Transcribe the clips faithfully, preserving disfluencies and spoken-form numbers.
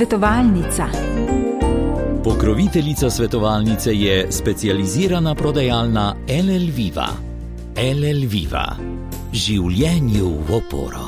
Svetovalnica. Pokroviteljica svetovalnice je specializirana prodajalna L L Viva. L L Viva. Življenju v oporo.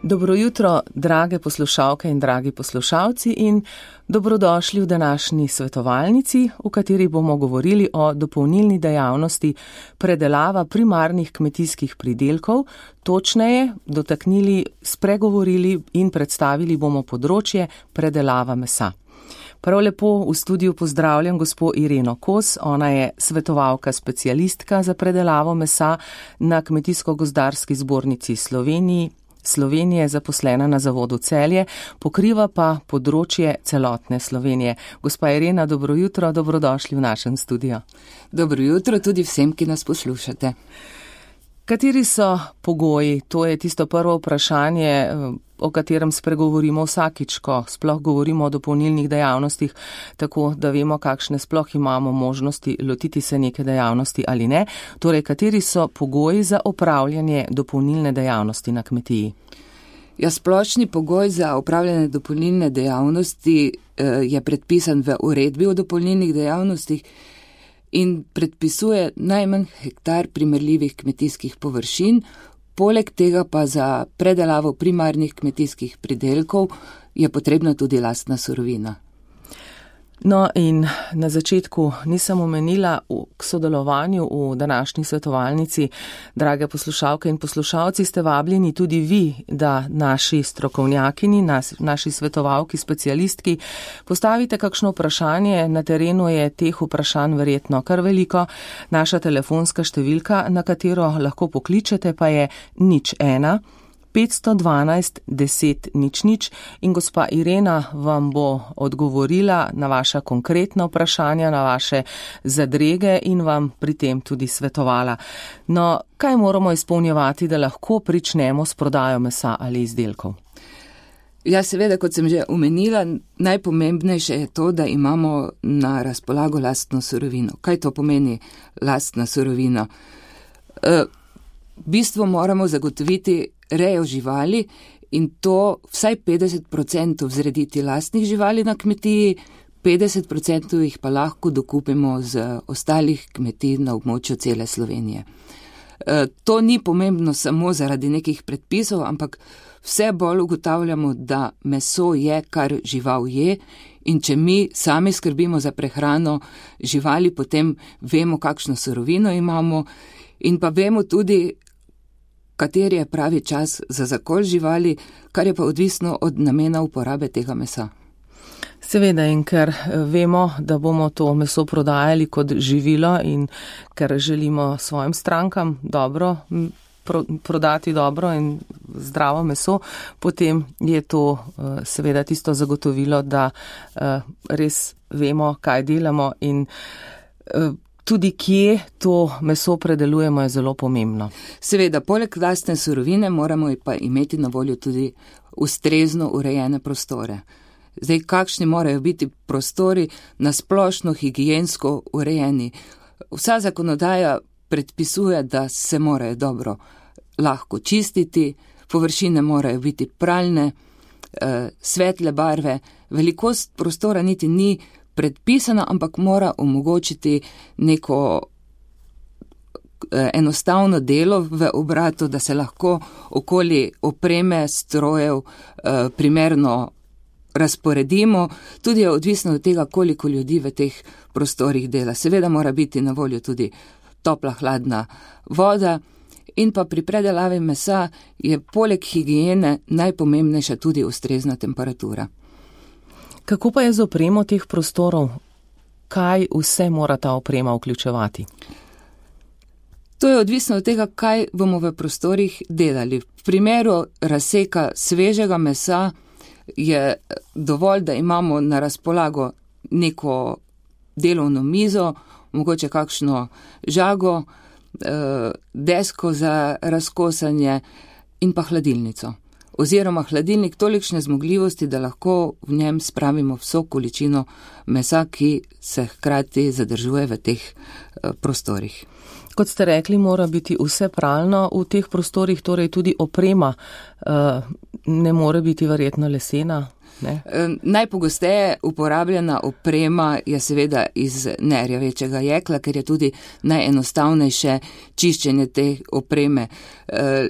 Dobro jutro, drage poslušalke in dragi poslušalci, in dobrodošli v današnji svetovalnici, v kateri bomo govorili o dopolnilni dejavnosti predelava primarnih kmetijskih pridelkov, točneje dotaknili, spregovorili in predstavili bomo področje predelava mesa. Prav lepo v studiu pozdravljam gospo Ireno Kos, ona je svetovalka specialistka za predelavo mesa na Kmetijsko-gozdarski zbornici Sloveniji. Slovenije, zaposlena na zavodu Celje, pokriva pa področje celotne Slovenije. Gospa Irena, dobro jutro, dobrodošli v našem studiu. Dobro jutro tudi vsem, ki nas poslušate. Kateri so pogoji? To je tisto prvo vprašanje, o katerem spregovorimo vsakič, ko sploh govorimo o dopolnilnih dejavnostih, tako da vemo, kakšne sploh imamo možnosti lotiti se neke dejavnosti ali ne. Torej, kateri so pogoji za opravljanje dopolnilne dejavnosti na kmetiji? Ja, splošni pogoj za opravljanje dopolnilne dejavnosti eh, je predpisan v uredbi o dopolnilnih dejavnostih in predpisuje najmanj hektar primerljivih kmetijskih površin. Poleg tega pa za predelavo primarnih kmetijskih pridelkov je potrebna tudi lastna surovina. No in na začetku nisem omenila k sodelovanju v današnji svetovalnici. Drage poslušalke in poslušalci, ste vabljeni tudi vi, da naši strokovnjakini, nas, naši svetovalki, specialistki, postavite kakšno vprašanje. Na terenu je teh vprašanj verjetno kar veliko. Naša telefonska številka, na katero lahko pokličete, pa je nič ena. petsto dvanajst deset nič nič in gospa Irena vam bo odgovorila na vaša konkretna vprašanja, na vaše zadrege in vam pri tem tudi svetovala. No, kaj moramo izpolnjevati, da lahko pričnemo s prodajo mesa ali izdelkov? Ja, seveda, kot sem že omenila, najpomembnejše je to, da imamo na razpolago lastno surovino. Kaj to pomeni lastna surovina? E, v bistvu moramo zagotoviti rejo živali in to vsaj petdeset procentov zrediti lastnih živali na kmetiji, petdeset procentov jih pa lahko dokupimo z ostalih kmetij na območju cele Slovenije. E, to ni pomembno samo zaradi nekih predpisov, ampak vse bolj ugotavljamo, da meso je, kar žival je, in če mi sami skrbimo za prehrano živali, potem vemo, kakšno surovino imamo in pa vemo tudi, kateri je pravi čas za zakol živali, kar je pa odvisno od namena uporabe tega mesa. Seveda, in ker vemo, da bomo to meso prodajali kot živilo in ker želimo svojim strankam dobro prodati dobro in zdravo meso, potem je to seveda tisto zagotovilo, da res vemo, kaj delamo in tudi kje to meso predelujemo je zelo pomembno. Seveda, poleg lastne surovine moramo pa imeti na voljo tudi ustrezno urejene prostore. Zdaj, kakšni morajo biti prostori na splošno higiensko urejeni? Vsa zakonodaja predpisuje, da se morajo dobro lahko čistiti, površine morajo biti pralne, svetle barve, velikost prostora niti ni predpisana, ampak mora omogočiti neko enostavno delo v obratu, da se lahko okoli opreme, strojev primerno razporedimo. Tudi je odvisno od tega, koliko ljudi v teh prostorih dela. Seveda mora biti na voljo tudi topla, hladna voda in pa pri predelavi mesa je poleg higiene najpomembnejša tudi ustrezna temperatura. Kako pa je z opremo teh prostorov? Kaj vse mora ta oprema vključevati? To je odvisno od tega, kaj bomo v prostorih delali. V primeru razseka svežega mesa je dovolj, da imamo na razpolago neko delovno mizo, mogoče kakšno žago, desko za razkosanje in pa hladilnico. oziroma hladilnik tolikšne zmogljivosti, da lahko v njem spravimo vso količino mesa, ki se hkrati zadržuje v teh prostorih. Kot ste rekli, mora biti vse pralno v teh prostorih, torej tudi oprema ne more biti verjetno lesena. Ne? Najpogosteje uporabljena oprema je seveda iz nerjavečega jekla, ker je tudi najenostavnejše čiščenje te opreme.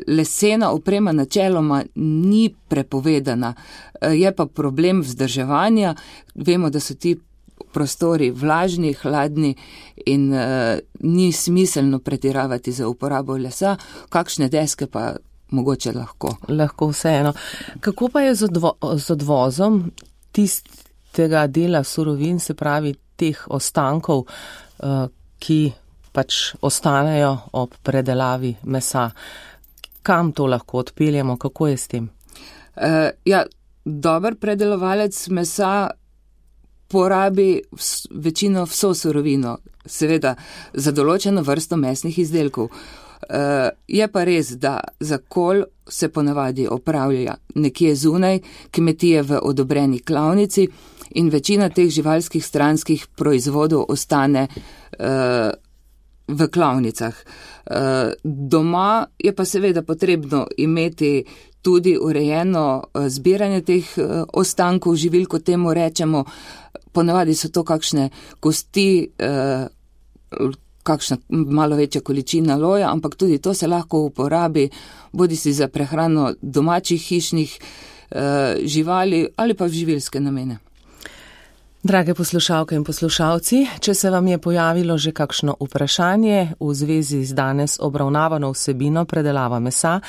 Lesena oprema načeloma ni prepovedana, je pa problem vzdrževanja. Vemo, da so ti prostori vlažni, hladni in uh, ni smiselno pretiravati za uporabo lesa, kakšne deske pa mogoče lahko. Lahko vseeno. Kako pa je z, odvo z odvozom tistega dela surovin, se pravi teh ostankov, uh, ki pač ostanejo ob predelavi mesa? Kam to lahko odpeljemo? Kako je s tem? Uh, ja, dober predelovalec mesa porabi večino vso surovino, seveda za določeno vrsto mesnih izdelkov. Uh, je pa res, da zakol se ponavadi opravlja nekje zunaj, kmetije v odobreni klavnici in večina teh živalskih stranskih proizvodov ostane uh, v klavnicah. Uh, doma je pa seveda potrebno imeti tudi urejeno zbiranje teh uh, ostankov živil, kot temu rečemo. Ponavadi so to kakšne kosti, uh, kakšna malo večja količina loja, ampak tudi to se lahko uporabi, bodi si za prehrano domačih hišnih uh, živali ali pa v živilske namene. Drage poslušalke in poslušalci, če se vam je pojavilo že kakšno vprašanje v zvezi z danes obravnavano vsebino predelava mesa,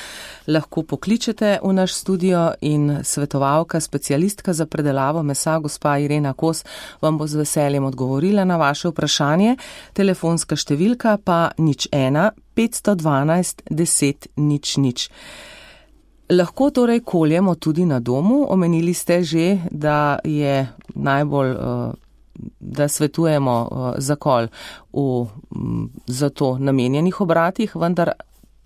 lahko pokličete v naš studio in svetovalka, specialistka za predelavo mesa, gospa Irena Kos, vam bo z veseljem odgovorila na vaše vprašanje. Telefonska številka pa nič ena petsto dvanajst deset nič nič. Lahko torej koljemo tudi na domu. Omenili ste že, da je najbolj, da svetujemo zakol v za to namenjenih obratih, vendar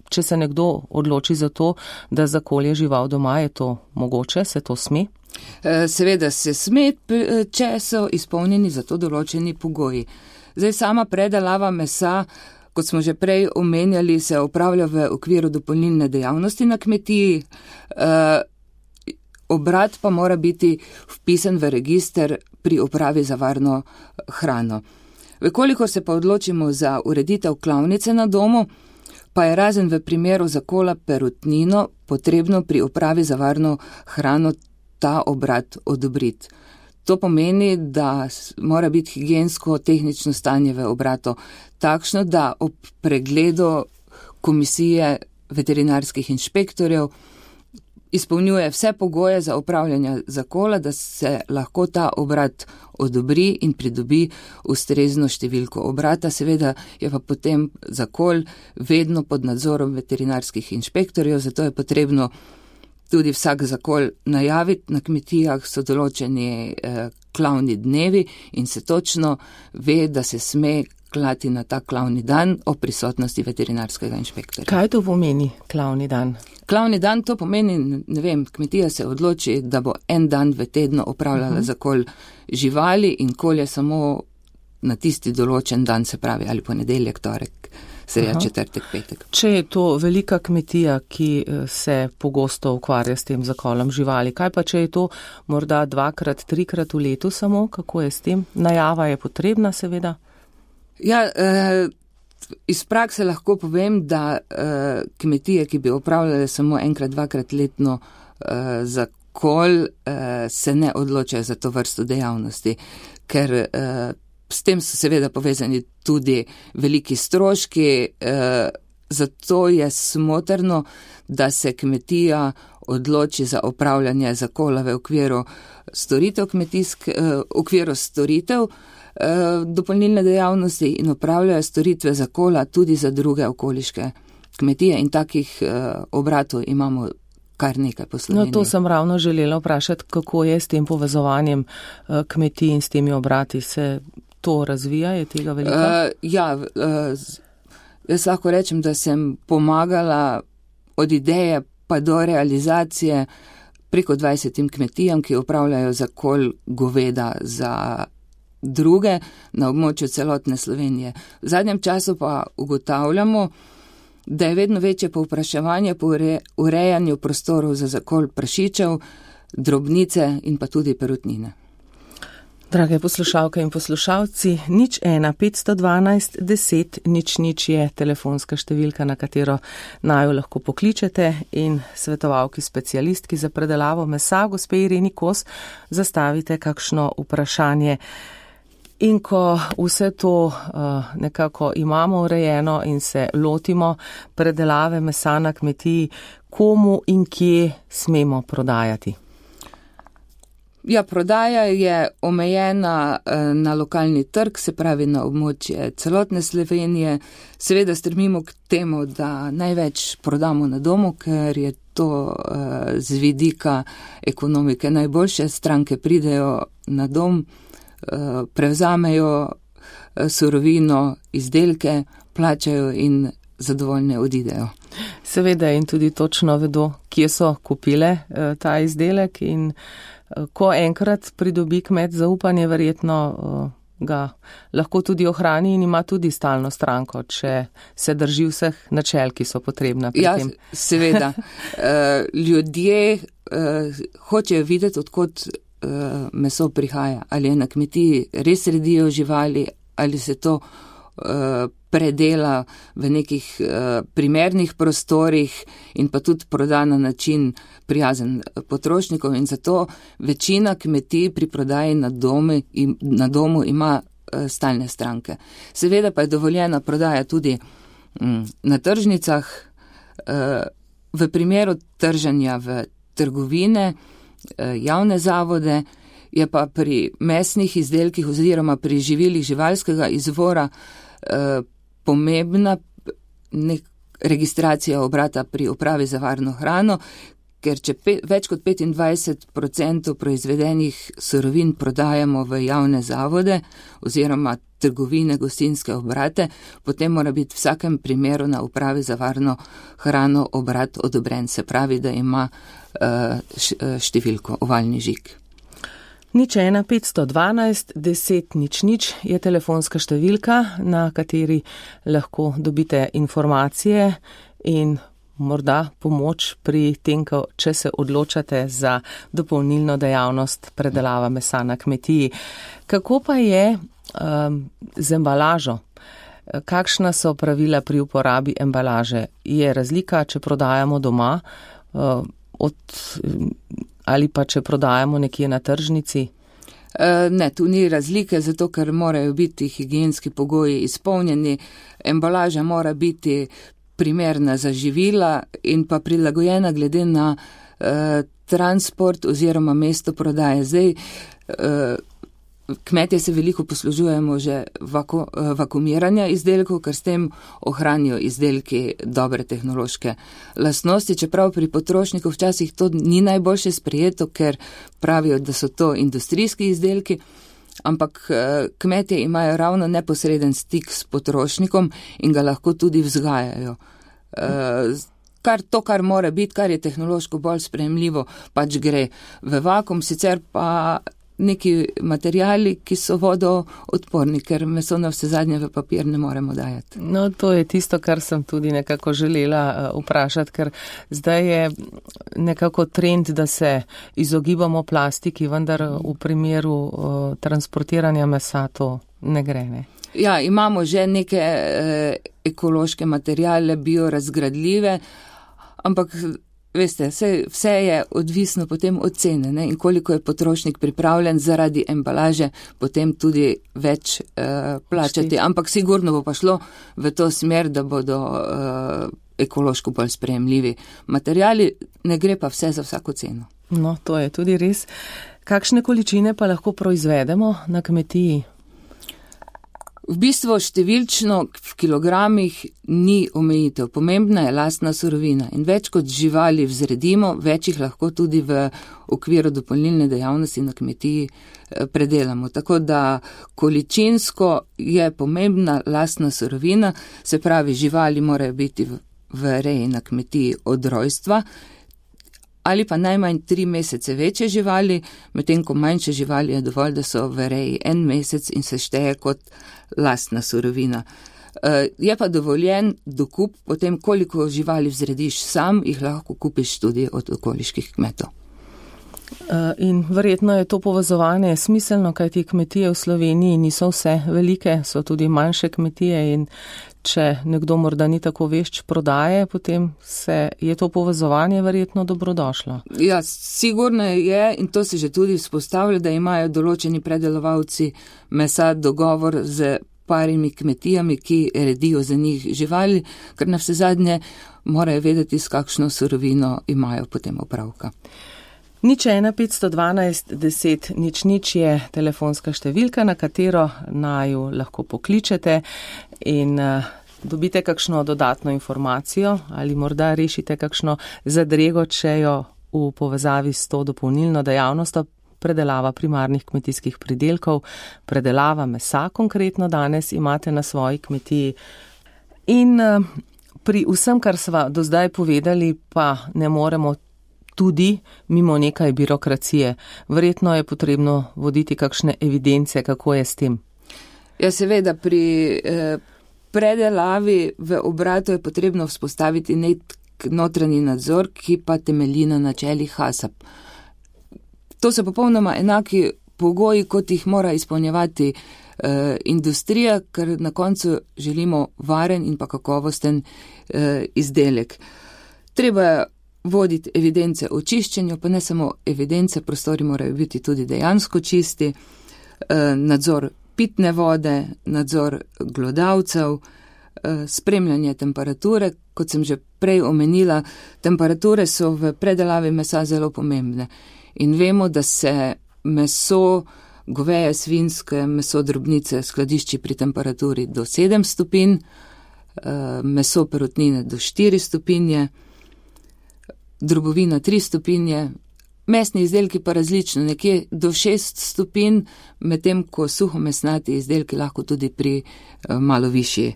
če se nekdo odloči za to, da zakolje žival doma, je to mogoče, se to sme? Seveda se sme, če so izpolnjeni za to določeni pogoji. Zdaj sama predelava mesa, kot smo že prej omenjali, se opravlja v okviru dopolnilne dejavnosti na kmetiji. E, obrat pa mora biti vpisan v register pri upravi za varno hrano. Vekolikor se pa odločimo za ureditev klavnice na domu, pa je razen v primeru zakola perutnino potrebno pri upravi za varno hrano ta obrat odobriti. To pomeni, da mora biti higiensko-tehnično stanje v obratu takšno, da ob pregledu komisije veterinarskih inšpektorjev izpolnjuje vse pogoje za upravljanje zakola, da se lahko ta obrat odobri in pridobi ustrezno številko obrata. Seveda je pa potem zakol vedno pod nadzorom veterinarskih inšpektorjev, zato je potrebno tudi vsak zakol najaviti. Na kmetijah so določeni eh, klavni dnevi in se točno ve, da se sme klati na ta klavni dan o prisotnosti veterinarskega inšpektorja. Kaj to pomeni klavni dan? Klavni dan to pomeni, ne vem, kmetija se odloči, da bo en dan v tednu opravljala uh -huh. zakol živali in kolje samo na tisti določen dan, se pravi ali ponedeljek, torek, sreda, četrtek, petek. Če je to velika kmetija, ki se pogosto ukvarja s tem zakolom živali, kaj pa če je to morda dvakrat, trikrat v letu samo, kako je s tem? Najava je potrebna, seveda? Ja, eh, iz prakse lahko povem, da eh, kmetije, ki bi opravljale samo enkrat, dvakrat letno eh, zakol, eh, se ne odločajo za to vrsto dejavnosti, ker eh, s tem so seveda povezani tudi veliki stroški, eh, zato je smotrno, da se kmetija odloči za opravljanje zakola v okviru storitev kmetijsk, eh, v okviru storitev eh, dopolnilne dejavnosti in opravljajo storitve zakola tudi za druge okoliške kmetije in takih eh, obratov imamo kar nekaj po Sloveniji. No, to sem ravno želela vprašati, kako je s tem povezovanjem eh, kmetij in s temi obrati, se to razvija, je tega veliko? Uh, ja, uh, jaz lahko rečem, da sem pomagala od ideje pa do realizacije preko dvajsetim kmetijam, ki upravljajo zakol goveda za druge na območju celotne Slovenije. V zadnjem času pa ugotavljamo, da je vedno večje povpraševanje po urejanju prostorov za zakol prašičev, drobnice in pa tudi perutnine. Drage poslušalke in poslušalci, nič ena petsto dvanajst deset nič nič je telefonska številka, na katero naju lahko pokličete in svetovalki specialistki za predelavo mesa, gospe Ireni Kos, zastavite kakšno vprašanje. In ko vse to uh, nekako imamo urejeno in se lotimo predelave mesa na kmetiji, komu in kje smemo prodajati? Ja, prodaja je omejena na lokalni trg, se pravi na območje celotne Slovenije. Seveda strmimo k temu, da največ prodamo na domu, ker je to z vidika ekonomike najboljše. Stranke pridejo na dom, prevzamejo surovino, izdelke, plačajo in zadovoljne odidejo. Seveda in tudi točno vedo, kje so kupile ta izdelek in ko enkrat pridobi kmet zaupanje, verjetno ga lahko tudi ohrani in ima tudi stalno stranko, če se drži vseh načel, ki so potrebna pri ja, tem. Seveda. Ljudje hočejo videti, odkot meso prihaja. Ali je na kmetiji res redijo živali, ali se to predela v nekih primernih prostorih in pa tudi proda na način prijazen potrošnikov in zato večina kmetij pri prodaji na, domi, na domu ima stalne stranke. Seveda pa je dovoljena prodaja tudi na tržnicah. V primeru trženja v trgovine, javne zavode, je pa pri mesnih izdelkih oziroma pri živilih živalskega izvora pomembna nek registracija obrata pri upravi za varno hrano, ker če pe, več kot petindvajset odstotkov proizvedenih surovin prodajamo v javne zavode oziroma trgovine, gostinske obrate, potem mora biti v vsakem primeru na upravi za varno hrano obrat odobren, se pravi, da ima uh, številko ovalni žig. Nič ena petsto dvanajst deset nič nič je telefonska številka, na kateri lahko dobite informacije in morda pomoč pri tem, če se odločate za dopolnilno dejavnost predelava mesa na kmetiji. Kako pa je um, z embalažo? Kakšna so pravila pri uporabi embalaže? Je razlika, če prodajamo doma uh, od... ali pa če prodajamo nekje na tržnici? Ne, tu ni razlike, zato ker morajo biti higienski pogoji izpolnjeni. Embalaža mora biti primerna za živila in pa prilagojena glede na eh, transport oziroma mesto prodaje. Zdaj, eh, kmetje se veliko poslužujemo že vaku, vakuumiranja izdelkov, ker s tem ohranijo izdelki dobre tehnološke lastnosti, čeprav pri potrošniku včasih to ni najboljše sprejeto, ker pravijo, da so to industrijski izdelki, ampak kmetje imajo ravno neposreden stik s potrošnikom in ga lahko tudi vzgajajo. Kar to, kar mora biti, kar je tehnološko bolj sprejemljivo, pač gre v vakuum, sicer pa neki materijali, ki so vodoodporni, ker meso na vse zadnje v papir ne moremo dajati. No, to je tisto, kar sem tudi nekako želela vprašati, ker zdaj je nekako trend, da se izogibamo plastiki, vendar v primeru uh, transportiranja mesa to ne gre, ne? Ja, imamo že neke eh, ekološke materijale, biorazgradljive, ampak veste, vse, vse je odvisno potem od cene, ne? In koliko je potrošnik pripravljen zaradi embalaže potem tudi več uh, plačati. Ampak sigurno bo pa šlo v to smer, da bodo uh, ekološko bolj sprejemljivi materijali, ne gre pa vse za vsako ceno. No, to je tudi res. Kakšne količine pa lahko proizvedemo na kmetiji? V bistvu številčno v kilogramih ni omejitev. Pomembna je lastna surovina in več kot živali vzredimo, več jih lahko tudi v okviru dopolnilne dejavnosti na kmetiji predelamo. Tako da količinsko je pomembna lastna surovina, se pravi živali morajo biti v v reji na kmetiji od rojstva, ali pa najmanj tri mesece večje živali, medtem ko manjše živali je dovolj, da so v reji en mesec in se šteje kot lastna surovina. Je pa dovoljen dokup, potem koliko živali vzrediš sam, jih lahko kupiš tudi od okoliških kmetov. In verjetno je to povezovanje smiselno, kajti kmetije v Sloveniji niso vse velike, so tudi manjše kmetije in če nekdo morda ni tako vešč prodaje, potem se je to povezovanje verjetno dobrodošlo. Ja, sigurno je in to se že tudi vzpostavlja, da imajo določeni predelovalci mesa dogovor z parimi kmetijami, ki redijo za njih živali, ker na vse zadnje morajo vedeti, s kakšno surovino imajo potem opravka. Nič ena petsto dvanajst deset nič nič je telefonska številka, na katero naju lahko pokličete in uh, dobite kakšno dodatno informacijo ali morda rešite kakšno zadrego, če jo v povezavi s to dopolnilno dejavnostjo predelava primarnih kmetijskih pridelkov, predelava mesa konkretno danes imate na svoji kmetiji. In uh, pri vsem, kar sva do zdaj povedali, pa ne moremo tudi mimo nekaj birokracije. Verjetno je potrebno voditi kakšne evidence, kako je s tem. Ja, seveda, pri eh, predelavi v obratu je potrebno vzpostaviti nek notranji nadzor, ki pa temelji na načelih HACCP. To so popolnoma enaki pogoji, kot jih mora izpolnjevati eh, industrija, ker na koncu želimo varen in pa kakovosten eh, izdelek. Treba je voditi evidence o čiščenju, pa ne samo evidence, prostori morajo biti tudi dejansko čisti, nadzor pitne vode, nadzor glodavcev, spremljanje temperature. Kot sem že prej omenila, temperature so v predelavi mesa zelo pomembne. In vemo, da se meso, goveje, svinjske, meso drobnice skladišči pri temperaturi do sedem stopinj, meso perutnine do štiri stopinje, drobovina tri stopinje, mesni izdelki pa različno, nekje do šest stopinj, medtem ko suhomesnati izdelki lahko tudi pri eh, malo višji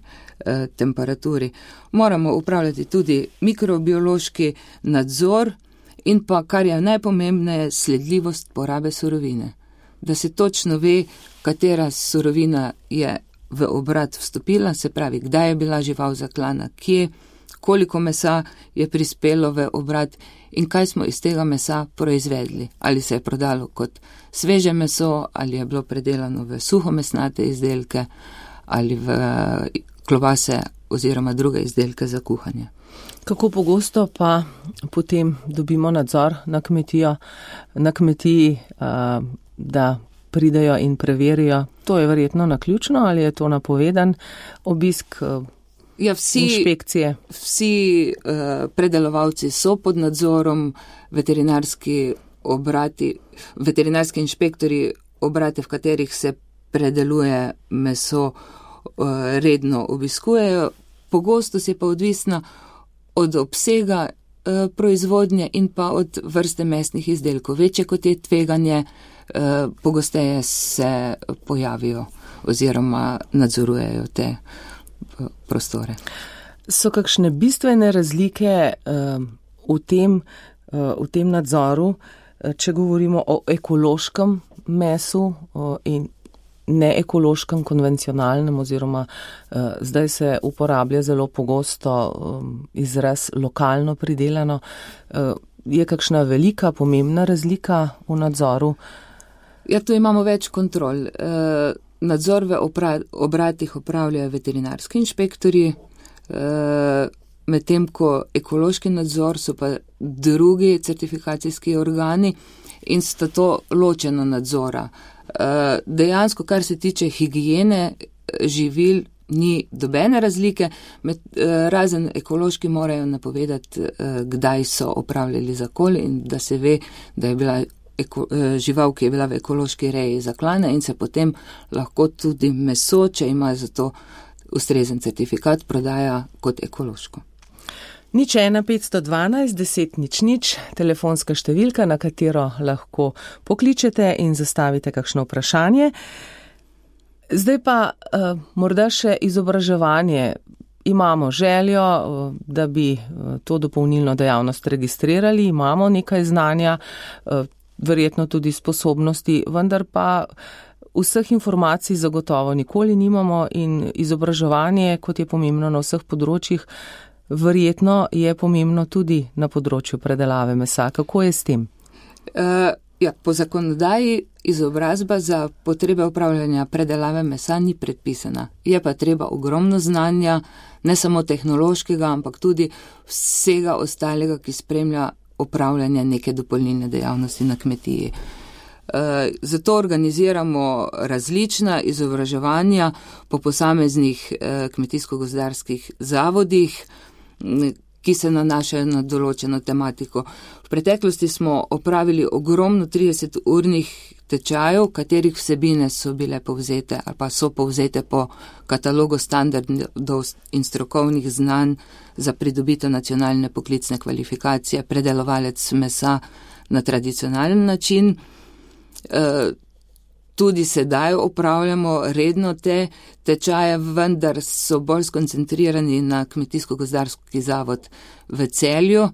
eh, temperaturi. Moramo upravljati tudi mikrobiološki nadzor in pa, kar je najpomembneje, sledljivost porabe surovine. Da se točno ve, katera surovina je v obrat vstopila, se pravi, kdaj je bila žival zaklana, kje, koliko mesa je prispelo v obrat in kaj smo iz tega mesa proizvedli. Ali se je prodalo kot sveže meso, ali je bilo predelano v suhomesnate izdelke, ali v klobase oziroma druge izdelke za kuhanje. Kako pogosto pa potem dobimo nadzor na kmetijo, na kmetiji, da pridejo in preverijo? To je verjetno naključno ali je to napovedan obisk Ja, vsi, inšpekcije. Vsi uh, predelovalci so pod nadzorom, veterinarski obrati, veterinarski inšpektori obrate, v katerih se predeluje meso, uh, redno obiskujejo. Pogostost je pa odvisna od obsega uh, proizvodnje in pa od vrste mesnih izdelkov. Večje kot je tveganje, uh, pogosteje se pojavijo oziroma nadzorujejo te prostore. So kakšne bistvene razlike uh, v, tem, uh, v tem nadzoru, če govorimo o ekološkem mesu uh, in neekološkem, konvencionalnem oziroma uh, zdaj se uporablja zelo pogosto um, izraz lokalno pridelano. Uh, je kakšna velika, pomembna razlika v nadzoru? Ja, tu imamo več kontrol. Uh, Nadzor v obratih opravljajo veterinarski inšpektori, medtem ko ekološki nadzor so pa drugi certifikacijski organi in sta to ločena nadzora. Dejansko, kar se tiče higijene živil, ni dobene razlike, med, razen ekološki morajo napovedati, kdaj so opravljali zakol in da se ve, da je bila Eko, žival, ki je bila v ekološki reji zaklana in se potem lahko tudi meso, če ima za to ustrezen certifikat, prodaja kot ekološko. Nič ena petsto dvanajst deset nič nič, telefonska številka, na katero lahko pokličete in zastavite kakšno vprašanje. Zdaj pa uh, morda še izobraževanje. imamo željo, da bi to dopolnilno dejavnost registrirali, imamo nekaj znanja, verjetno tudi sposobnosti, vendar pa vseh informacij zagotovo nikoli nimamo in izobraževanje, kot je pomembno na vseh področjih, verjetno je pomembno tudi na področju predelave mesa. Kako je s tem? Uh, ja, po zakonodaji izobrazba za potrebe upravljanja predelave mesa ni predpisana. Je pa treba ogromno znanja, ne samo tehnološkega, ampak tudi vsega ostalega, ki spremlja upravljanje neke dopolnilne dejavnosti na kmetiji. E, zato organiziramo različna izobraževanja po posameznih e, kmetijsko-gozdarskih zavodih, ki se nanašajo na določeno tematiko. V preteklosti smo opravili ogromno trideseturnih tečajev, katerih vsebine so bile povzete ali pa so povzete po katalogu standardov in strokovnih znanj za pridobitev nacionalne poklicne kvalifikacije, predelovalec mesa na tradicionalen način. E, tudi sedaj opravljamo redno te tečaje, vendar so bolj skoncentrirani na Kmetijsko-gozdarski zavod v Celju,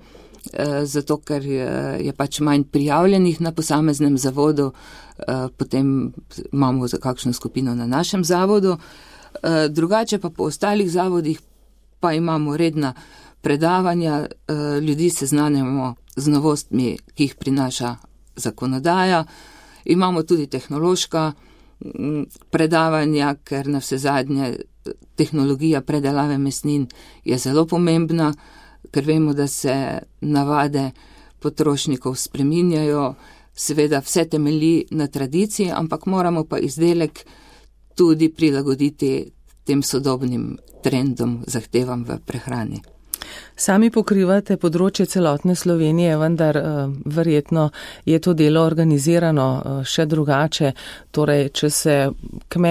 zato ker je pač manj prijavljenih na posameznem zavodu, potem imamo za kakšno skupino na našem zavodu. Drugače pa po ostalih zavodih pa imamo redna predavanja, ljudi seznanjamo z novostmi, ki jih prinaša zakonodaja. Imamo tudi tehnološka predavanja, ker na vse zadnje tehnologija predelave mesnin je zelo pomembna, ker vemo, da se navade potrošnikov spreminjajo, seveda vse temelji na tradiciji, ampak moramo pa izdelek tudi prilagoditi tem sodobnim trendom, zahtevam v prehrani. Sami pokrivate področje celotne Slovenije, vendar uh, verjetno je to delo organizirano uh, še drugače. Torej, če se kmet